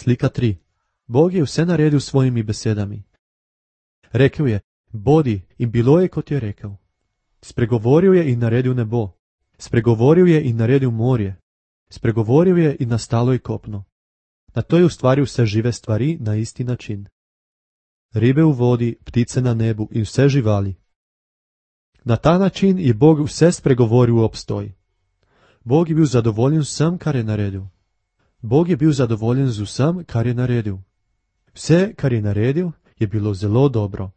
Slika 3. Bog je vse naredil s svojimi besedami. Rekel je, bodi, in bilo je, kot je rekel. Spregovoril je in naredil nebo. Spregovoril je in naredil morje. Spregovoril je in nastalo je kopno. Nato je ustvaril vse žive stvari na isti način. Ribe v vodi, ptice na nebu in vse živali. Na ta način je Bog vse spregovoril v obstoj. Bog je bil zadovoljen z vsem, kar je naredil. Bog je bil zadovoljen z vsem, kar je naredil. Vse, kar je naredil, je bilo zelo dobro.